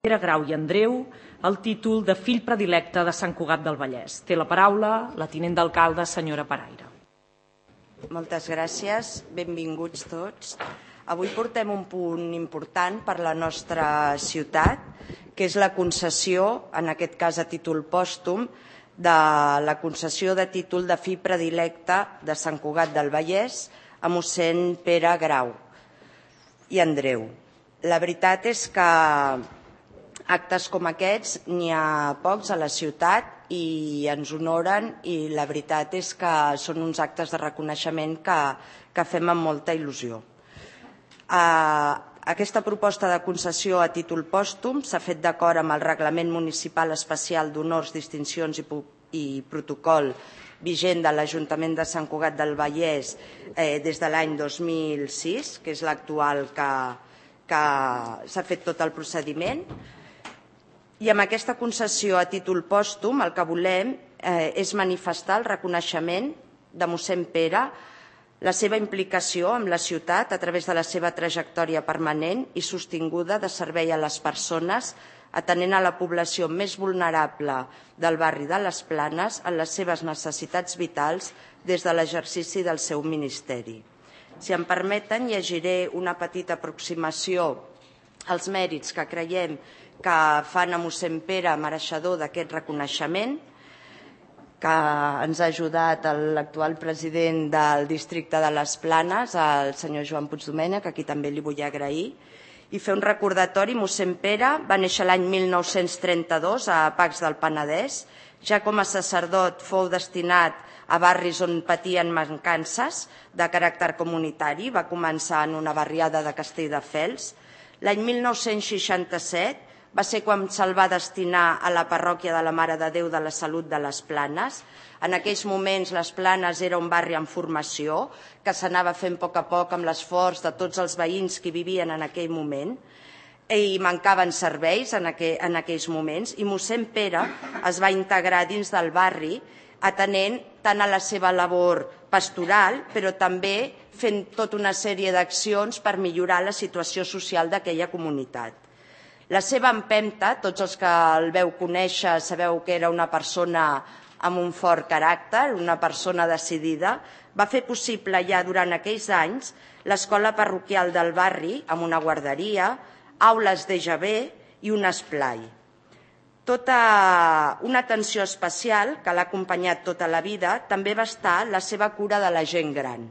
Pere Grau i Andreu el títol de fill predilecte de Sant Cugat del Vallès. Té la paraula la tinent d'alcalde, senyora Paraire. Moltes gràcies, benvinguts tots. Avui portem un punt important per la nostra ciutat, que és la concessió, en aquest cas a títol pòstum, de la concessió de títol de fill predilecte de Sant Cugat del Vallès a mossèn Pere Grau i Andreu. La veritat és que actes com aquests n'hi ha pocs a la ciutat i ens honoren, i la veritat és que són uns actes de reconeixement que fem amb molta il·lusió. Aquesta proposta de concessió a títol pòstum s'ha fet d'acord amb el Reglament Municipal Especial d'Honors, Distincions i Protocol vigent de l'Ajuntament de Sant Cugat del Vallès des de l'any 2006, que és l'actual que s'ha fet tot el procediment. I amb aquesta concessió a títol pòstum el que volem és manifestar el reconeixement de mossèn Pere, la seva implicació amb la ciutat a través de la seva trajectòria permanent i sostinguda de servei a les persones, atenent a la població més vulnerable del barri de les Planes en les seves necessitats vitals des de l'exercici del seu ministeri. Si em permeten, llegiré una petita aproximació als mèrits que creiem que fan a mossèn Pere mereixedor d'aquest reconeixement, que ens ha ajudat l'actual president del districte de les Planes, el senyor Joan Puigdomènech, a qui també li vull agrair, i fer un recordatori. Mossèn Pere va néixer l'any 1932 a Pacs del Penedès. Ja com a sacerdot fou destinat a barris on patien mancances de caràcter comunitari. Va començar en una barriada de Castelldefels. L'any 1967 va ser quan se'l va destinar a la parròquia de la Mare de Déu de la Salut de les Planes. En aquells moments les Planes era un barri en formació que s'anava fent a poc amb l'esforç de tots els veïns que vivien en aquell moment, i mancaven serveis en aquells moments, i mossèn Pere es va integrar dins del barri atenent tant a la seva labor pastoral, però també fent tota una sèrie d'accions per millorar la situació social d'aquella comunitat. La seva empenta, tots els que el veu conèixer sabeu que era una persona amb un fort caràcter, una persona decidida, va fer possible ja durant aquells anys l'escola parroquial del barri amb una guarderia, aules d'EGB i un esplai. Tota una atenció especial que l'ha acompanyat tota la vida també va estar la seva cura de la gent gran.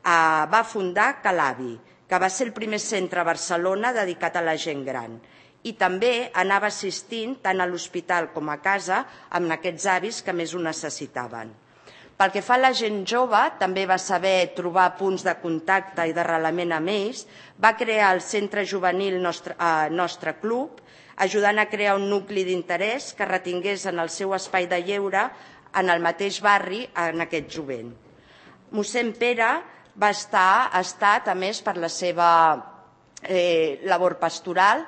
Va fundar Calavi, que va ser el primer centre a Barcelona dedicat a la gent gran, i també anava assistint tant a l'hospital com a casa amb aquests avis que més ho necessitaven. Pel que fa a la gent jove, també va saber trobar punts de contacte i d'arrelament amb ells. Va crear el centre juvenil Nostre Club, ajudant a crear un nucli d'interès que retingués en el seu espai de lleure en el mateix barri en aquest jovent. Mossèn Pere ha estat, a més, per la seva labor pastoral,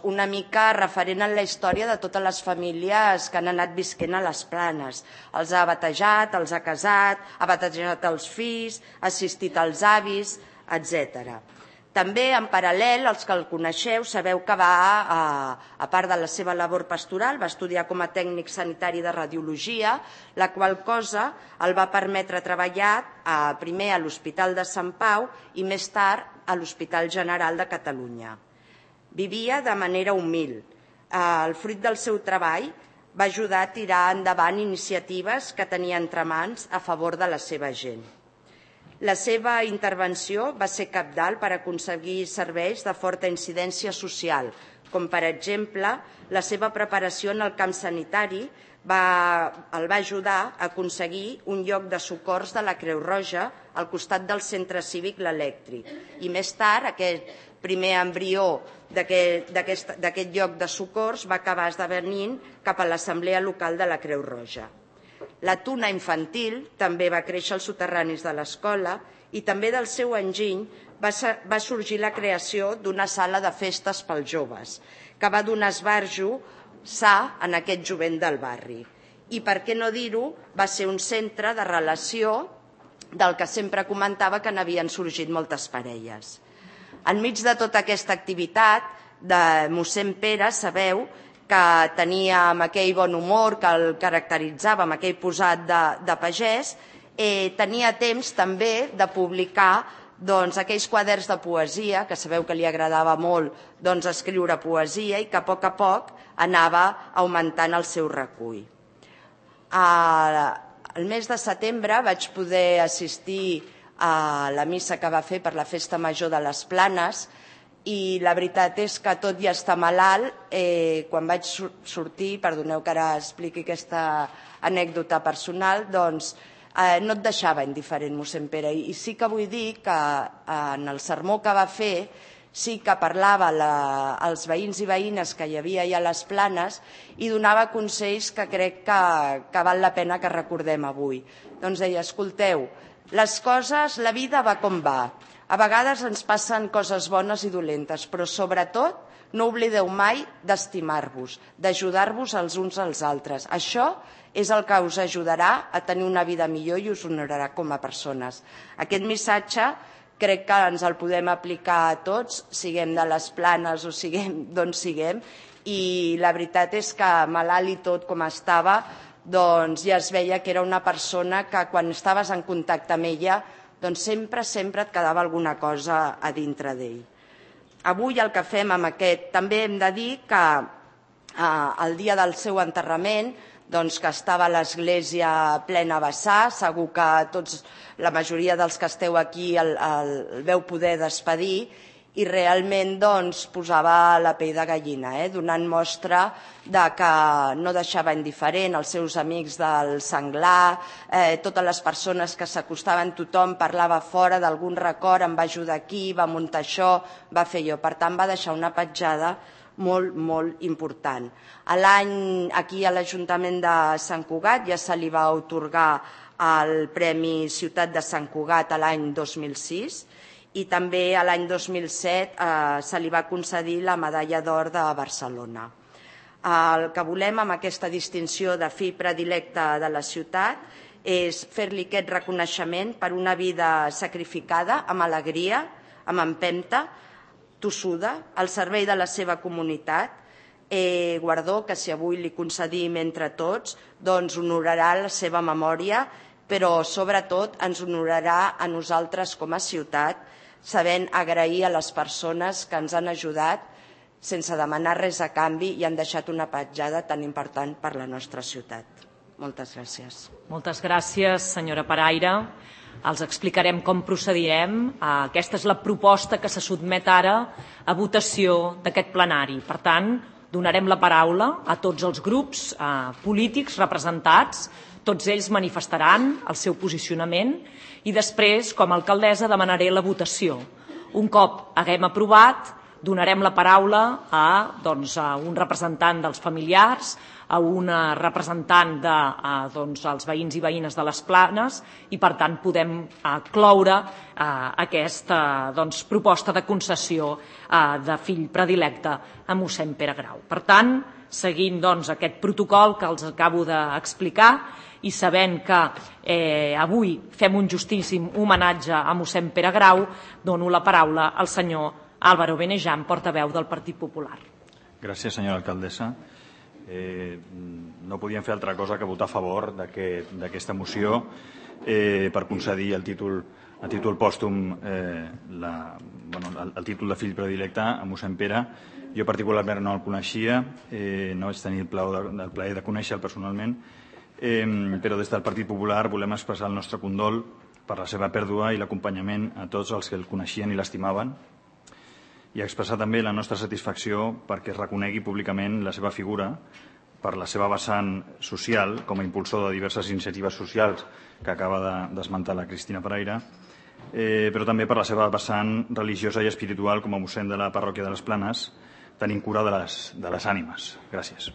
una mica referent en la història de totes les famílies que han anat visquent a les Planes. Els ha batejat, els ha casat, ha batejat els fills, ha assistit als avis, etc. També, en paral·lel, els que el coneixeu, sabeu que a part de la seva labor pastoral, va estudiar com a tècnic sanitari de radiologia, la qual cosa el va permetre treballar primer a l'Hospital de Sant Pau i més tard a l'Hospital General de Catalunya. Vivia de manera humil. El fruit del seu treball va ajudar a tirar endavant iniciatives que tenia entre mans a favor de la seva gent. La seva intervenció va ser cabdal per aconseguir serveis de forta incidència social, com per exemple la seva preparació en el camp sanitari el va ajudar a aconseguir un lloc de socors de la Creu Roja al costat del centre cívic l'Elèctric, i més tard aquest primer embrió d'aquest lloc de socors va acabar esdevenint cap a l'Assemblea Local de la Creu Roja. La tuna infantil també va créixer als soterranis de l'escola, i també del seu enginy va sorgir la creació d'una sala de festes pels joves, que va donar esbarjo sa en aquest jovent del barri. I per què no dir-ho, va ser un centre de relació del que sempre comentava que n'havien sorgit moltes parelles. Enmig de tota aquesta activitat, de mossèn Pere, sabeu que tenia amb aquell bon humor que el caracteritzava, amb aquell posat de pagès, tenia temps també de publicar aquells quaderns de poesia, que sabeu que li agradava molt escriure poesia i que a poc anava augmentant el seu recull. El mes de setembre vaig poder assistir a la missa que va fer per la Festa Major de les Planes i la veritat és que tot i estar malalt, quan vaig sortir, perdoneu que ara expliqui aquesta anècdota personal, doncs no et deixava indiferent mossèn Pere. I sí que vull dir que en el sermó que va fer sí que parlava als veïns i veïnes que hi havia allà a les Planes i donava consells que crec que val la pena que recordem avui. Doncs deia, escolteu, les coses, la vida va com va. A vegades ens passen coses bones i dolentes, però sobretot no oblideu mai d'estimar-vos, d'ajudar-vos els uns als altres. Això és el que us ajudarà a tenir una vida millor i us honorarà com a persones. Aquest missatge crec que ens el podem aplicar a tots, siguem de les Planes o siguem d'on siguem, i la veritat és que malalt i tot com estava, doncs ja es veia que era una persona que quan estaves en contacte amb ella doncs sempre et quedava alguna cosa a dintre d'ell. Avui el que fem amb aquest, també hem de dir que el dia del seu enterrament, que estava a l'església plena a vessar, segur que tots, la majoria dels que esteu aquí el veu poder despedir, i realment posava la pell de gallina, donant mostra que no deixava indiferent els seus amics del Senglar, totes les persones que s'acostaven, tothom parlava fora d'algun record, em va ajudar aquí, va muntar això, va fer allò. Per tant, va deixar una petjada molt, molt important. Aquí a l'Ajuntament de Sant Cugat ja se li va atorgar el Premi Ciutat de Sant Cugat l'any 2006 i també l'any 2007 se li va concedir la Medalla d'Or de Barcelona. El que volem amb aquesta distinció de fill predilecte de la ciutat és fer-li aquest reconeixement per una vida sacrificada, amb alegria, amb empenta, tossuda, al servei de la seva comunitat, guardó que si avui li concedim entre tots, doncs honorarà la seva memòria, però sobretot ens honorarà a nosaltres com a ciutat, sabent agrair a les persones que ens han ajudat sense demanar res a canvi i han deixat una petjada tan important per la nostra ciutat. Moltes gràcies. Moltes gràcies, senyora Paraire. Els explicarem com procedirem. Aquesta és la proposta que se sotmet ara a votació d'aquest plenari. Per tant, donarem la paraula a tots els grups polítics representats. Tots ells manifestaran el seu posicionament i després, com a alcaldessa, demanaré la votació. Un cop haguem aprovat, donarem la paraula a un representant dels familiars, a una representant dels veïns i veïnes de les Planes i, per tant, podem cloure aquesta proposta de concessió de fill predilecte a mossèn Pere Grau. Per tant, seguint aquest protocol que els acabo d'explicar i sabent que avui fem un justíssim homenatge a mossèn Pere Grau, dono la paraula al senyor Álvaro Benejam, portaveu del Partit Popular. Gràcies, senyora alcaldessa. No podíem fer altra cosa que votar a favor d'aquesta moció per concedir el títol pòstum, el títol de fill predilecte a mossèn Pere. Jo particularment no el coneixia, no vaig tenir el plaer de conèixer-lo personalment, però des del Partit Popular volem expressar el nostre condol per la seva pèrdua i l'acompanyament a tots els que el coneixien i l'estimaven, i expressar també la nostra satisfacció perquè es reconegui públicament la seva figura per la seva vessant social com a impulsor de diverses iniciatives socials que acaba d'esmentar la Cristina Paraire, però també per la seva vessant religiosa i espiritual com a mossèn de la parròquia de les Planes, tenint cura de les ànimes. Gràcies.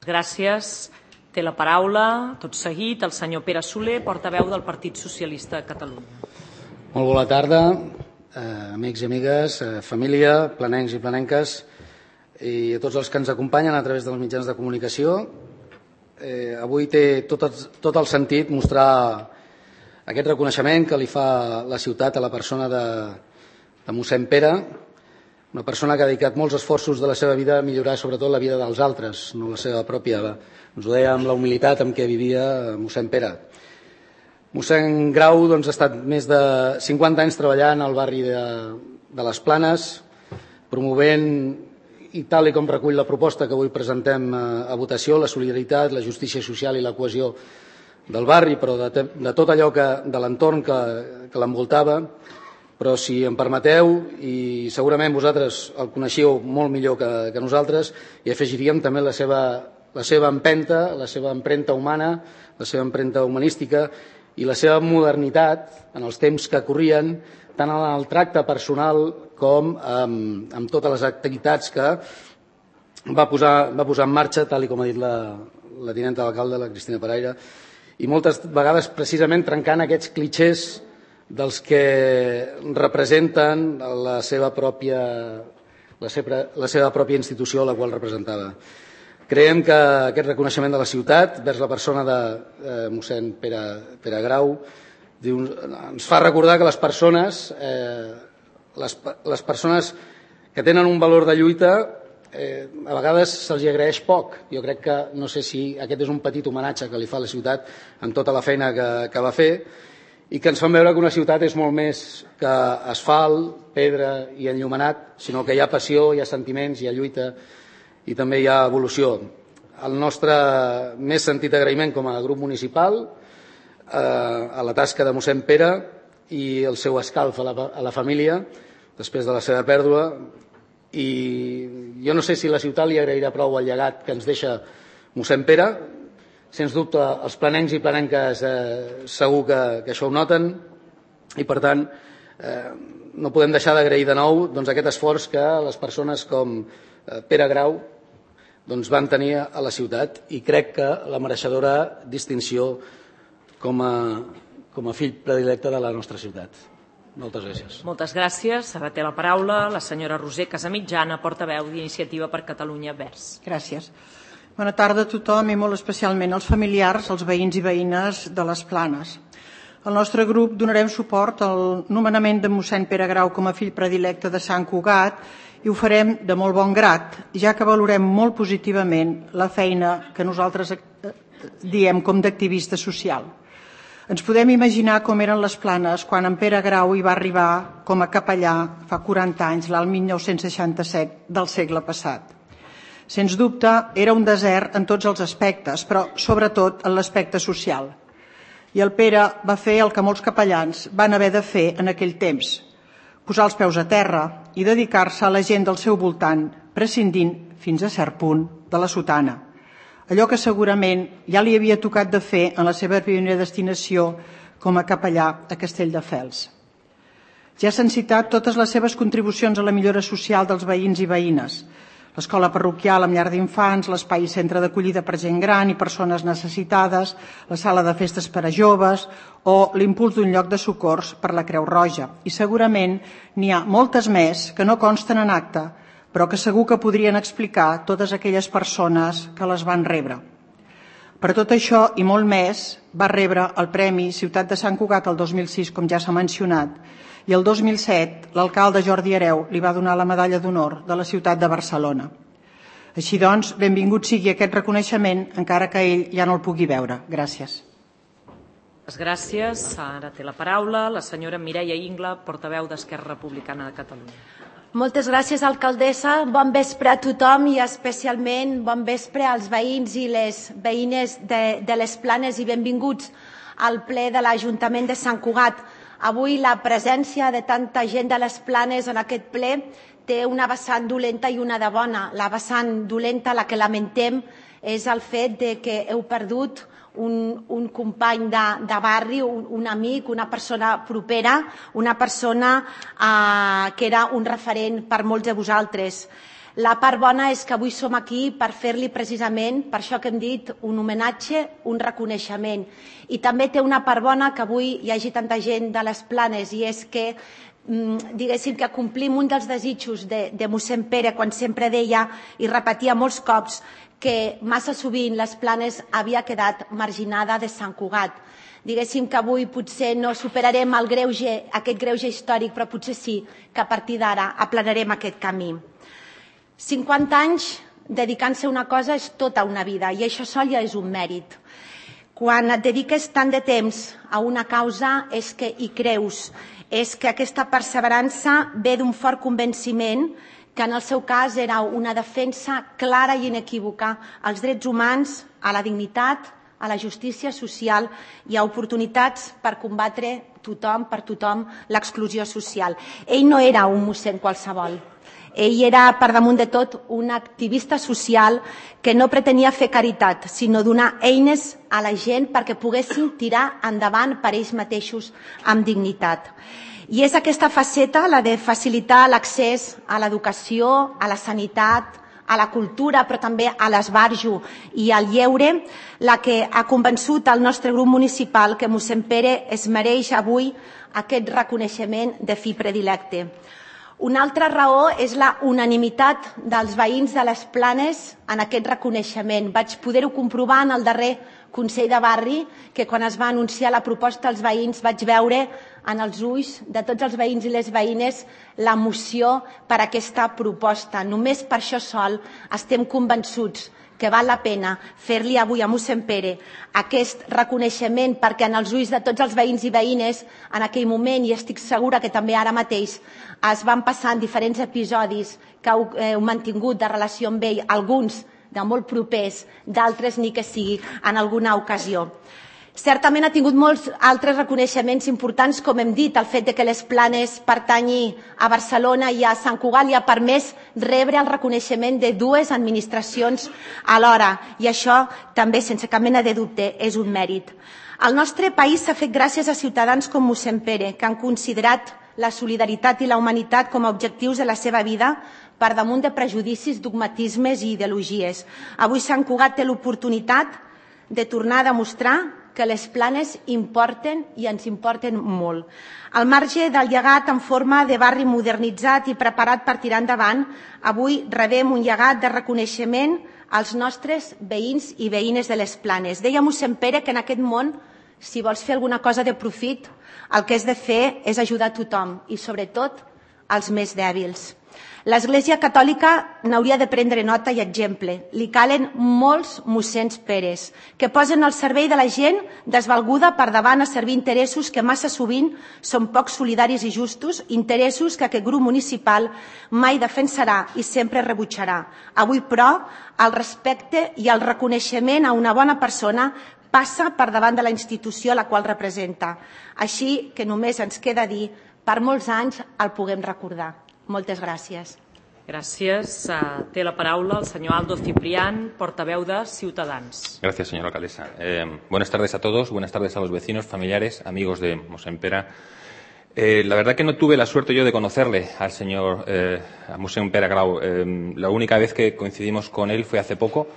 Gràcies. Té la paraula, tot seguit, el senyor Pere Soler, portaveu del Partit Socialista de Catalunya. Molt bona tarda, amics i amigues, família, planencs i planenques, i a tots els que ens acompanyen a través dels mitjans de comunicació. Avui té tot el sentit mostrar aquest reconeixement que li fa la ciutat a la persona de mossèn Pere, Una persona que ha dedicat molts esforços de la seva vida a millorar sobretot la vida dels altres, no la seva pròpia. Ens ho deia amb la humilitat amb què vivia mossèn Pere. Mossèn Grau ha estat més de 50 anys treballant al barri de les Planes, promovent, i tal com recull la proposta que avui presentem a votació, la solidaritat, la justícia social i la cohesió del barri, però de tot allò de l'entorn que l'envoltava. Però si em permeteu, i segurament vosaltres el coneixíeu molt millor que nosaltres, hi afegiríem també la seva empenta, la seva empremta humana, la seva empremta humanística i la seva modernitat en els temps que corrien, tant en el tracte personal com amb totes les activitats que va posar en marxa, tal com ha dit la tinenta d'alcalde, la Cristina Paraire, i moltes vegades precisament trencant aquests clixés dels que representen la seva pròpia institució a la qual representava. Creiem que aquest reconeixement de la ciutat vers la persona de mossèn Pere Grau ens fa recordar que les persones que tenen un valor de lluita a vegades se'ls agraeix poc. Jo crec que, no sé si aquest és un petit homenatge que li fa a la ciutat en tota la feina que va fer, i que ens fan veure que una ciutat és molt més que asfalt, pedra i enllumenat, sinó que hi ha passió, hi ha sentiments, hi ha lluita i també hi ha evolució. El nostre més sentit agraïment com a grup municipal a la tasca de mossèn Pere i el seu escalf a la família després de la seva pèrdua, i jo no sé si la ciutat li agrairà prou el llegat que ens deixa mossèn Pere. Sens dubte, els planencs i planenques segur que això ho noten, i per tant no podem deixar d'agrair de nou aquest esforç que les persones com Pere Grau van tenir a la ciutat, i crec que la mereixedora distinció com a fill predilecte de la nostra ciutat. Moltes gràcies. Moltes gràcies. Ara té la paraula la senyora Roser Casamitjana, portaveu d'Iniciativa per Catalunya Verds. Gràcies. Bona tarda a tothom i molt especialment als familiars, als veïns i veïnes de les Planes. El nostre grup donarem suport al nomenament de mossèn Pere Grau com a fill predilecte de Sant Cugat, i ho farem de molt bon grat, ja que valorem molt positivament la feina que nosaltres diem com d'activista social. Ens podem imaginar com eren les Planes quan en Pere Grau hi va arribar com a capellà fa 40 anys, l'any 1967 del segle passat. Sens dubte, era un desert en tots els aspectes, però sobretot en l'aspecte social. I el Pere va fer el que molts capellans van haver de fer en aquell temps, posar els peus a terra i dedicar-se a la gent del seu voltant, prescindint, fins a cert punt, de la sotana. Allò que segurament ja li havia tocat de fer en la seva primera destinació com a capellà a Castelldefels. Ja s'han citat totes les seves contribucions a la millora social dels veïns i veïnes, l'escola parroquial amb llar d'infants, l'espai i centre d'acollida per gent gran i persones necessitades, la sala de festes per a joves o l'impuls d'un lloc de socors per la Creu Roja. I segurament n'hi ha moltes més que no consten en acte, però que segur que podrien explicar totes aquelles persones que les van rebre. Per tot això i molt més, va rebre el Premi Ciutat de Sant Cugat el 2006, com ja s'ha mencionat, i el 2007 l'alcalde Jordi Hereu li va donar la medalla d'honor de la ciutat de Barcelona. Així doncs, benvingut sigui aquest reconeixement, encara que ell ja no el pugui veure. Gràcies. Gràcies. Ara té la paraula la senyora Mireia Ingla, portaveu d'Esquerra Republicana de Catalunya. Moltes gràcies, alcaldessa. Bon vespre a tothom i especialment bon vespre als veïns i les veïnes de les Planes i benvinguts al ple de l'Ajuntament de Sant Cugat. Avui la presència de tanta gent de les Planes en aquest ple té una vessant dolenta i una de bona. La vessant dolenta, la que lamentem, és el fet de que heu perdut un company de barri, un amic, una persona propera, una persona que era un referent per molts de vosaltres. La part bona és que avui som aquí per fer-li precisament, per això que hem dit, un homenatge, un reconeixement. I també té una part bona que avui hi hagi tanta gent de les Planes, i és que diguéssim que complim un dels desitjos de mossèn Pere quan sempre deia i repetia molts cops que massa sovint les Planes havia quedat marginada de Sant Cugat. Diguéssim que avui potser no superarem aquest greuge històric, però potser sí que a partir d'ara aplanarem aquest camí. 50 anys dedicant-se a una cosa és tota una vida i això sol ja és un mèrit. Quan et dediques tant de temps a una causa és que hi creus, és que aquesta perseverança ve d'un fort convenciment que en el seu cas era una defensa clara i inequívoca als drets humans, a la dignitat, a la justícia social i a oportunitats per combatre per tothom l'exclusió social. Ell no era un mossèn qualsevol. Ell era, per damunt de tot, un activista social que no pretenia fer caritat, sinó donar eines a la gent perquè poguessin tirar endavant per ells mateixos amb dignitat. I és aquesta faceta, la de facilitar l'accés a l'educació, a la sanitat, a la cultura, però també a l'esbarjo i al lleure, la que ha convençut el nostre grup municipal que mossèn Pere es mereix avui aquest reconeixement de fi predilecte. Una altra raó és la unanimitat dels veïns de les Planes en aquest reconeixement. Vaig poder-ho comprovar en el darrer Consell de Barri, que quan es va anunciar la proposta als veïns vaig veure en els ulls de tots els veïns i les veïnes l'emoció per aquesta proposta. Només per això sol estem convençuts que val la pena fer-li avui a mossèn Pere aquest reconeixement perquè en els ulls de tots els veïns i veïnes en aquell moment, i estic segura que també ara mateix, es van passar en diferents episodis que heu mantingut de relació amb ell, alguns de molt propers, d'altres ni que sigui en alguna ocasió. Certament ha tingut molts altres reconeixements importants, com hem dit, el fet de que les Planes pertanyi a Barcelona i a Sant Cugat li ha permès rebre el reconeixement de dues administracions alhora, i això també, sense cap mena de dubte, és un mèrit. El nostre país s'ha fet gràcies a ciutadans com mossèn Pere, que han considerat la solidaritat i la humanitat com a objectius de la seva vida per damunt de prejudicis, dogmatismes i ideologies. Avui Sant Cugat té l'oportunitat de tornar a demostrar que les Planes importen i ens importen molt. Al marge del llegat en forma de barri modernitzat i preparat per tirar endavant, avui rebem un llegat de reconeixement als nostres veïns i veïnes de les Planes. Deia mossèn Pere que en aquest món, si vols fer alguna cosa de profit, el que has de fer és ajudar a tothom i, sobretot, als més dèbils. L'Església Catòlica n'hauria de prendre nota i exemple. Li calen molts mossèns Peres que posen al servei de la gent desvalguda per davant a servir interessos que massa sovint són poc solidaris i justos, interessos que aquest grup municipal mai defensarà i sempre rebutjarà. Avui, però, el respecte i el reconeixement a una bona persona passa per davant de la institució a la qual representa. Així que només ens queda dir, per molts anys el puguem recordar. Moltes gràcies. Gràcies. Té la paraula el senyor Aldo Ciprián, portaveu de Ciutadans. Gracias, señora alcaldesa. Buenas tardes a todos, buenas tardes a los vecinos, familiares, amigos de mossèn Pere. La verdad que no tuve la suerte yo de conocerle al señor a mossèn Pere Grau. La única vez que coincidimos con él fue hace poco,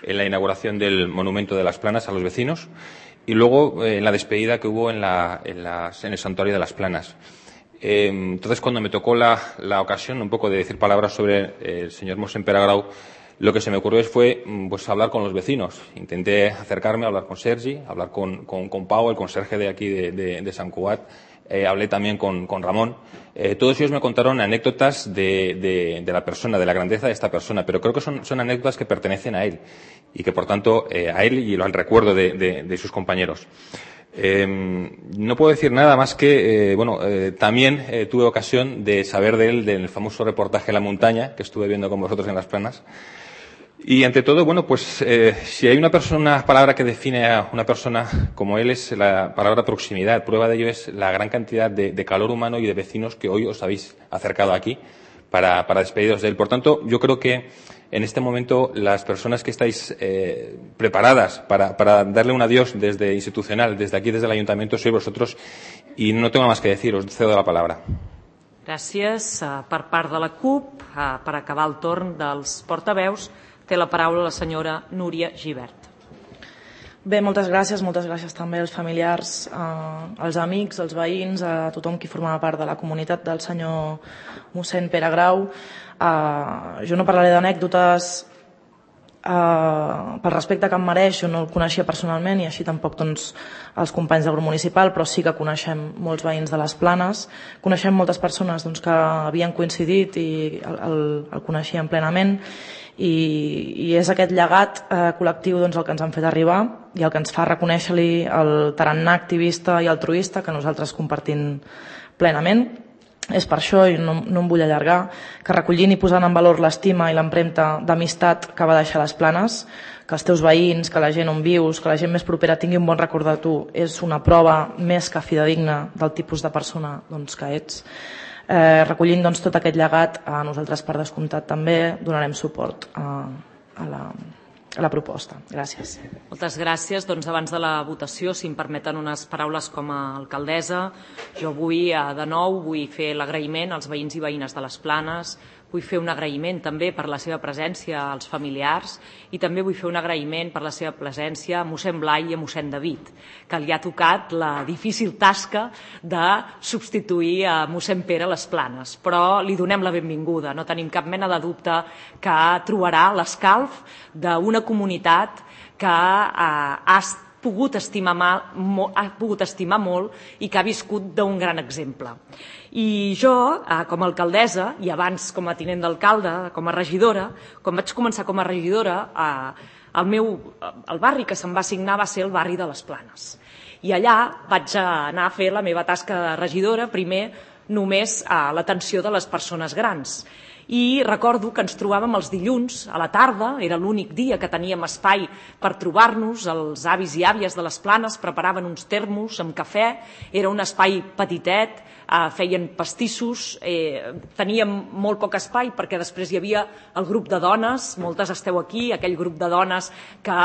en la inauguración del monumento de las Planas a los vecinos y luego en la despedida que hubo en el santuario de las Planas. Entonces, cuando me tocó la ocasión un poco de decir palabras sobre el señor mossèn Pere Grau, lo que se me ocurrió fue pues, hablar con los vecinos. Intenté acercarme, hablar con Sergi, hablar con Pau, el conserje de aquí de Sant Cugat. Hablé también con Ramón. Todos ellos me contaron anécdotas de la persona, de la grandeza de esta persona, pero creo que son anécdotas que pertenecen a él y que, por tanto, a él y al recuerdo de sus compañeros. No puedo decir nada más que, también tuve ocasión de saber de él del famoso reportaje La Montaña, que estuve viendo con vosotros en Las Planas. Y ante todo, si hay una palabra que define a una persona como él es la palabra proximidad. Prueba de ello es la gran cantidad de calor humano y de vecinos que hoy os habéis acercado aquí para despediros de él. Por tanto, yo creo que en este momento las personas que estáis preparadas para darle un adiós desde institucional, desde aquí, desde el Ayuntamiento, sois vosotros y no tengo más que decir, os cedo la palabra. Gràcies. Per part de la CUP, per acabar el torn dels portaveus, té la paraula la senyora Núria Gibert. Bé, moltes gràcies també als familiars, als amics, als veïns, a tothom qui formava part de la comunitat del senyor mossèn Pere Grau. Jo no parlaré d'anècdotes pel respecte que em mereix, jo no el coneixia personalment i així tampoc els companys del grup municipal, però sí que coneixem molts veïns de les Planes, coneixem moltes persones que havien coincidit i el coneixien plenament, i és aquest llegat col·lectiu el que ens han fet arribar i el que ens fa reconèixer-li el tarannà activista i altruista que nosaltres compartim plenament. És per això, i no em vull allargar, que recollint i posant en valor l'estima i l'empremta d'amistat que va deixar les Planes, que els teus veïns, que la gent on vius, que la gent més propera tingui un bon record de tu, és una prova més que fidedigna del tipus de persona que ets. Recollint tot aquest llegat, nosaltres per descomptat també donarem suport a la proposta. Gràcies. Moltes gràcies. Abans de la votació, si em permeten unes paraules com a alcaldessa, jo vull de nou fer l'agraïment als veïns i veïnes de les Planes, vull fer un agraïment també per la seva presència als familiars i també vull fer un agraïment per la seva presència a mossèn Blai i a mossèn David, que li ha tocat la difícil tasca de substituir a mossèn Pere a les Planes. Però li donem la benvinguda, no tenim cap mena de dubte que trobarà l'escalf d'una comunitat que ha pogut estimar molt i que ha viscut d'un gran exemple. I jo, com a alcaldessa, i abans com a tinent d'alcalde, com a regidora, quan vaig començar com a regidora, el barri que se'm va assignar va ser el barri de les Planes. I allà vaig anar a fer la meva tasca de regidora, primer només a l'atenció de les persones grans. I recordo que ens trobàvem els dilluns a la tarda, era l'únic dia que teníem espai per trobar-nos, els avis i àvies de les Planes preparaven uns termos amb cafè, era un espai petitet, feien pastissos, teníem molt poc espai perquè després hi havia el grup de dones, moltes esteu aquí, aquell grup de dones que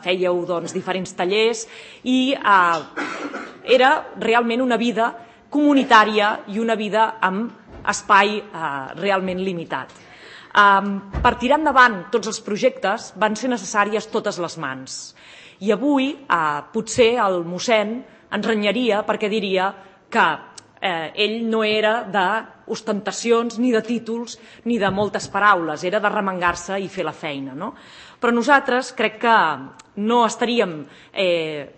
fèieu diferents tallers i era realment una vida comunitària i una vida amb espai realment limitat. Per tirar endavant tots els projectes van ser necessàries totes les mans. I avui potser el mossèn ens renyaria perquè diria que ell no era d'ostentacions ni de títols ni de moltes paraules, era de remengar-se i fer la feina. Però nosaltres crec que no estaríem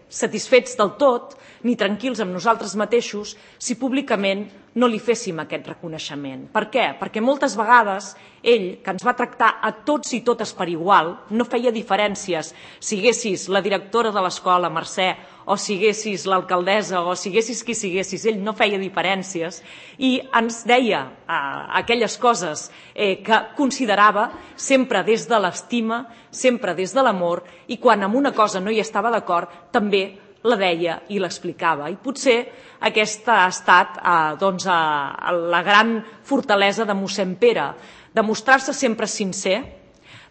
satisfets del tot ni tranquils amb nosaltres mateixos si públicament no li féssim aquest reconeixement. Per què? Perquè moltes vegades ell, que ens va tractar a tots i totes per igual, no feia diferències si siguessis la directora de l'escola, Mercè, o si siguessis l'alcaldessa, o si siguessis qui siguessis, ell no feia diferències i ens deia aquelles coses que considerava sempre des de l'estima, sempre des de l'amor, i quan amb una cosa no hi estava d'acord també la deia i l'explicava. I potser aquesta ha estat la gran fortalesa de mossèn Pere, de mostrar-se sempre sincer,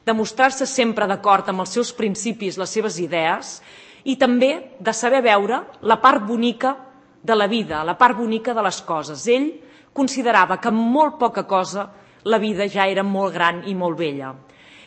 de mostrar-se sempre d'acord amb els seus principis, les seves idees, i també de saber veure la part bonica de la vida, la part bonica de les coses. Ell considerava que amb molt poca cosa la vida ja era molt gran i molt bella.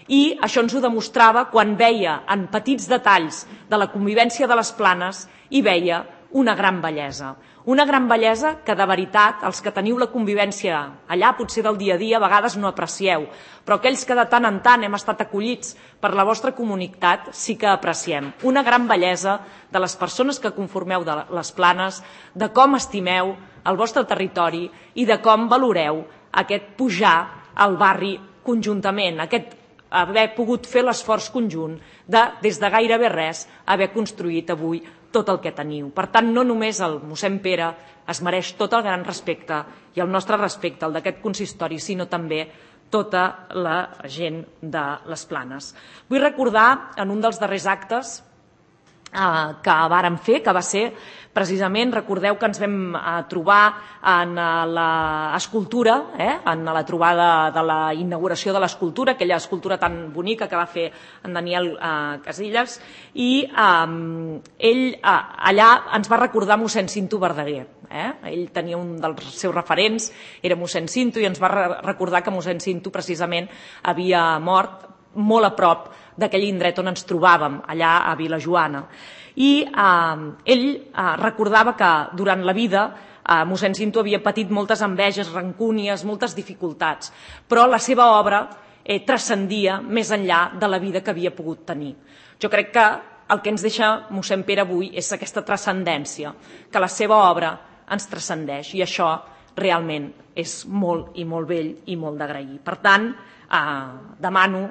I això ens ho demostrava quan veia en petits detalls de la convivència de les Planes i veia una gran bellesa. Una gran bellesa que de veritat els que teniu la convivència allà potser del dia a dia a vegades no aprecieu, però aquells que de tant en tant hem estat acollits per la vostra comunitat sí que apreciem. Una gran bellesa de les persones que conformeu de les Planes, de com estimeu el vostre territori i de com valoreu aquest pujar al barri conjuntament, aquest haver pogut fer l'esforç conjunt de, des de gairebé res, haver construït avui tot el que teniu. Per tant, no només el mossèn Pere es mereix tot el gran respecte i el nostre respecte, el d'aquest consistori, sinó també tota la gent de les Planes. Vull recordar en un dels darrers actes que vàrem fer, que va ser precisament, recordeu que ens vam trobar en l'escultura, en la trobada de la inauguració de l'escultura, aquella escultura tan bonica que va fer en Daniel Casillas, i ell allà ens va recordar mossèn Cinto Verdaguer. Ell tenia un dels seus referents, era mossèn Cinto, i ens va recordar que mossèn Cinto precisament havia mort molt a prop d'aquell indret on ens trobàvem, allà a Vilajoana. I ell recordava que durant la vida mossèn Cinto havia patit moltes enveges, rancúnies, moltes dificultats, però la seva obra transcendia més enllà de la vida que havia pogut tenir. Jo crec que el que ens deixa mossèn Pere avui és aquesta transcendència, que la seva obra ens transcendeix, i això realment és molt i molt vell i molt d'agrair. Per tant, demano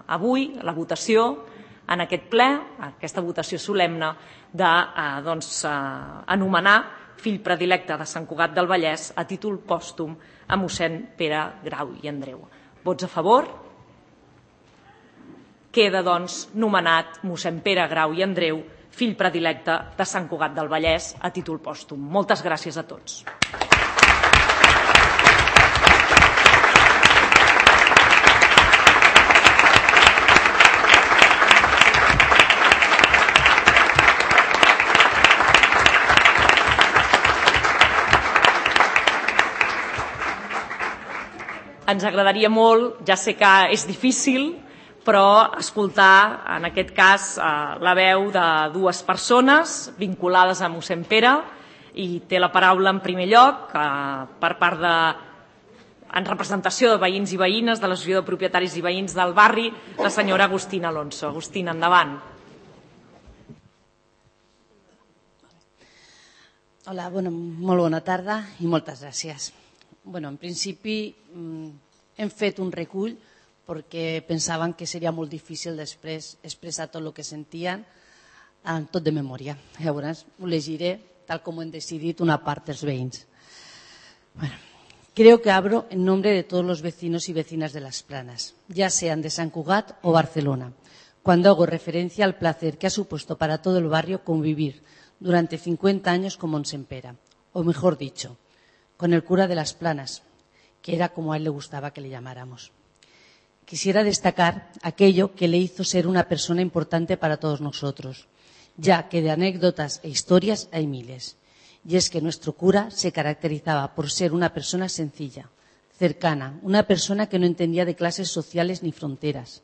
avui la votació en aquest ple, aquesta votació solemne d'anomenar fill predilecte de Sant Cugat del Vallès a títol pòstum a mossèn Pere Grau i Andreu. Vots a favor? Queda, doncs, nomenat mossèn Pere Grau i Andreu, fill predilecte de Sant Cugat del Vallès a títol pòstum. Moltes gràcies a tots. Ens agradaria molt, ja sé que és difícil, però escoltar, en aquest cas, la veu de dues persones vinculades a mossèn Pere, i té la paraula en primer lloc per part en representació de veïns i veïnes de l'Associació de Propietaris i Veïns del Barri, la senyora Agustina Alonso. Agustina, endavant. Hola, molt bona tarda i moltes gràcies. En principi hem fet un recull perquè pensaven que seria molt difícil després expressar tot el que sentien, tot de memòria. Llavors ho llegiré tal com ho han decidit una part dels veïns. Creo que hablo en nombre de todos los vecinos y vecinas de Las Planas, ya sean de San Cugat o Barcelona, cuando hago referencia al placer que ha supuesto para todo el barrio convivir durante 50 años con mossèn Pere, o mejor dicho, con el cura de Las Planas, que era como a él le gustaba que le llamáramos. Quisiera destacar aquello que le hizo ser una persona importante para todos nosotros, ya que de anécdotas e historias hay miles. Y es que nuestro cura se caracterizaba por ser una persona sencilla, cercana, una persona que no entendía de clases sociales ni fronteras.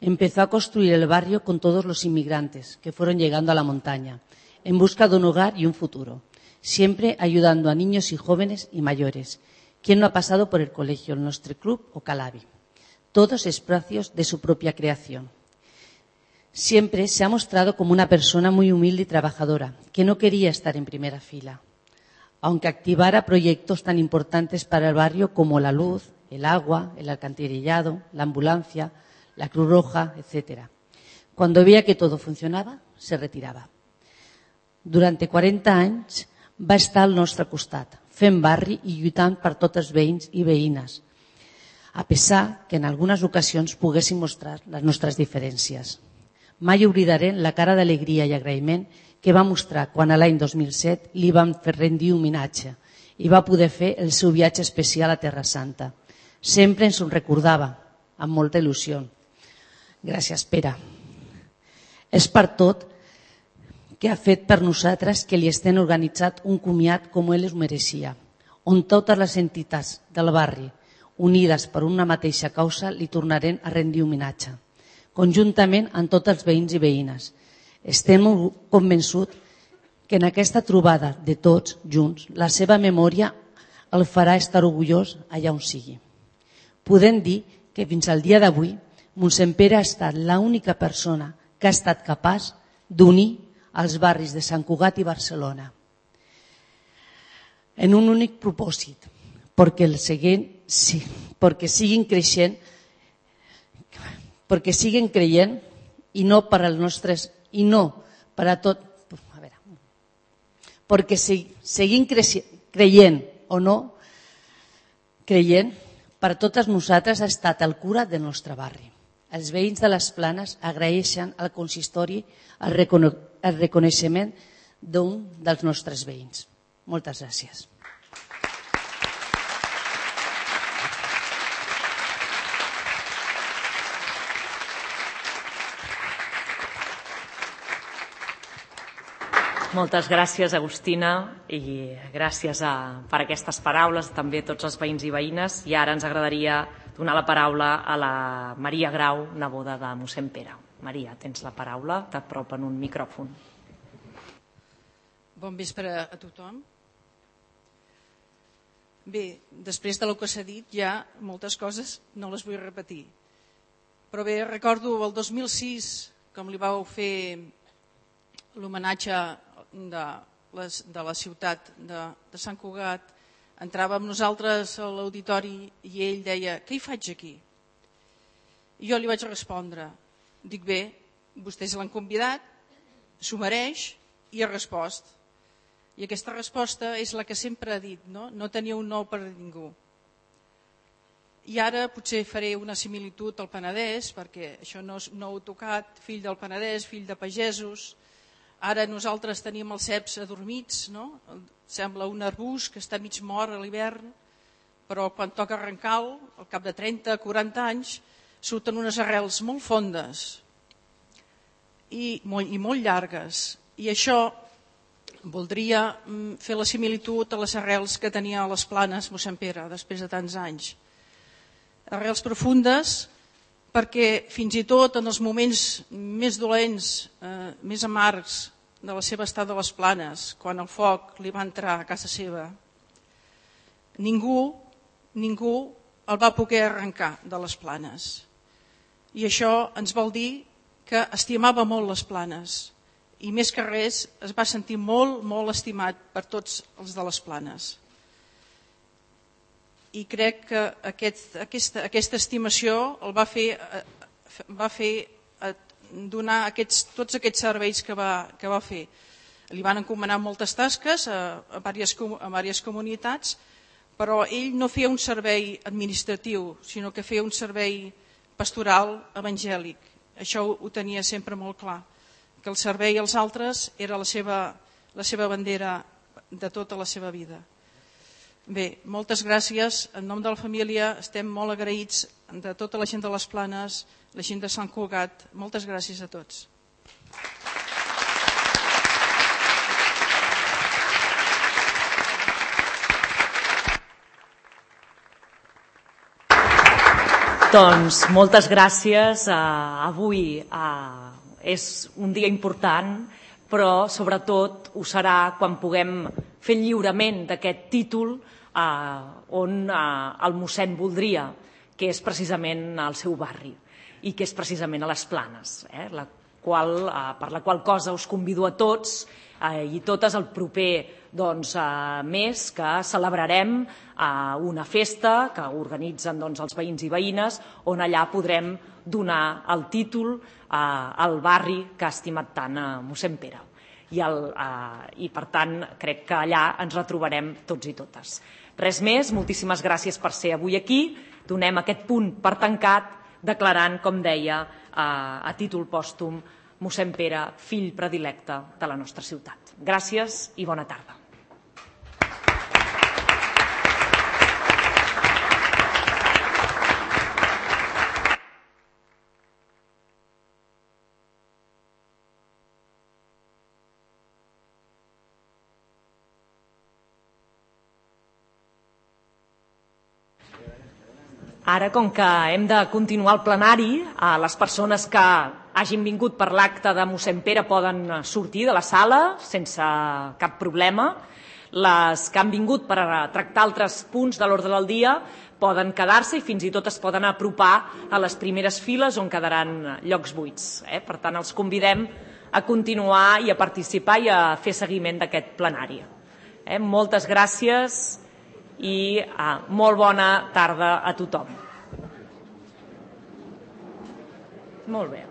Empezó a construir el barrio con todos los inmigrantes que fueron llegando a la montaña, en busca de un hogar y un futuro, siempre ayudando a niños y jóvenes y mayores. ¿Quién no ha pasado por el colegio, el Nostre Club o Calabi? Todos espacios de su propia creación. Siempre se ha mostrado como una persona muy humilde y trabajadora, que no quería estar en primera fila, aunque activara proyectos tan importantes para el barrio como la luz, el agua, el alcantarillado, la ambulancia, la Cruz Roja, etc. Cuando veía que todo funcionaba, se retiraba. Durante 40 anys va estar al nostre costat, fent barri i lluitant per tots els veïns i veïnes, a pesar que en algunes ocasions poguéssim mostrar les nostres diferències. Mai oblidaré la cara d'alegria i agraïment que va mostrar quan a l'any 2007 li van fer rendir homenatge i va poder fer el seu viatge especial a Terra Santa. Sempre ens ho recordava, amb molta il·lusió. Gràcies, Pere. És per tot que ha fet per nosaltres que li estem organitzat un comiat com ell es mereixia, on totes les entitats del barri, unides per una mateixa causa, li tornaren a rendir homenatge, conjuntament amb tots els veïns i veïnes. Estem convençuts que en aquesta trobada de tots junts, la seva memòria el farà estar orgullós allà on sigui. Podem dir que fins al dia d'avui, mossèn Pere ha estat l'única persona que ha estat capaç d'unir als barris de Sant Cugat i Barcelona en un únic propòsit, perquè siguin creient i no per als nostres i no per a tot, perquè seguim creient o no creient, per totes nosaltres ha estat el cura del nostre barri. Els veïns de les Planes agraeixen al consistori el reconeixement d'un dels nostres veïns. Moltes gràcies. Moltes gràcies, Agustina, i gràcies per aquestes paraules també a tots els veïns i veïnes. I ara ens agradaria donar la paraula a la Maria Grau, neboda de mossèn Pere. Maria, tens la paraula, t'apropen un micròfon. Bon vespre a tothom. Bé, després del que s'ha dit, ja moltes coses no les vull repetir. Però bé, recordo el 2006, com li vau fer l'homenatge de la ciutat de Sant Cugat, entràvem nosaltres a l'auditori i ell deia: què hi faig aquí? I jo li vaig respondre, dic, bé, vostès l'han convidat, s'ho mereix, i ha respost. I aquesta resposta és la que sempre ha dit, no tenia un no per ningú. I ara potser faré una similitud al Penedès, perquè això no ho he tocat, fill del Penedès, fill de pagesos. Ara nosaltres tenim els ceps adormits, no? Sembla un arbust que està mig mort a l'hivern, però quan toca arrencar-lo, al cap de 30-40 anys, surten unes arrels molt fondes i molt llargues. I això voldria fer la similitud a les arrels que tenia a les Planes mossèn Pere després de tants anys. Arrels profundes perquè fins i tot en els moments més dolents, més amargs de la seva estada a les Planes, quan el foc li va entrar a casa seva, ningú el va poder arrencar de les Planes. I això ens vol dir que estimava molt les Planes i més que res es va sentir molt, molt estimat per tots els de les Planes. I crec que aquesta estimació el va fer donar tots aquests serveis que va fer. Li van encomanar moltes tasques a diverses comunitats, però ell no feia un servei administratiu, sinó que feia un servei pastoral evangèlic. Això ho tenia sempre molt clar, que el servei als altres era la seva bandera de tota la seva vida. Bé, moltes gràcies. En nom de la família estem molt agraïts de tota la gent de les Planes, la gent de Sant Cugat. Moltes gràcies a tots. Doncs moltes gràcies. Avui és un dia important, però sobretot ho serà quan puguem fer el lliurament d'aquest títol on el mossèn voldria, que és precisament al seu barri i que és precisament a les Planes, per la qual cosa us convido a tots i totes el proper mes que celebrarem una festa que organitzen els veïns i veïnes, on allà podrem donar el títol al barri que ha estimat tant a mossèn Pere. I per tant crec que allà ens retrobarem tots i totes. Res més, moltíssimes gràcies per ser avui aquí. Donem aquest punt per tancat declarant, com deia, a títol pòstum, mossèn Pere, fill predilecte de la nostra ciutat. Gràcies i bona tarda. Ara, com que hem de continuar el plenari, les persones que hagin vingut per l'acte de mossèn Pere poden sortir de la sala sense cap problema. Les que han vingut per tractar altres punts de l'ordre del dia poden quedar-se i fins i tot es poden apropar a les primeres files on quedaran llocs buits. Per tant, els convidem a continuar i a participar i a fer seguiment d'aquest plenari. Moltes gràcies i molt bona tarda a tothom. Molt bé.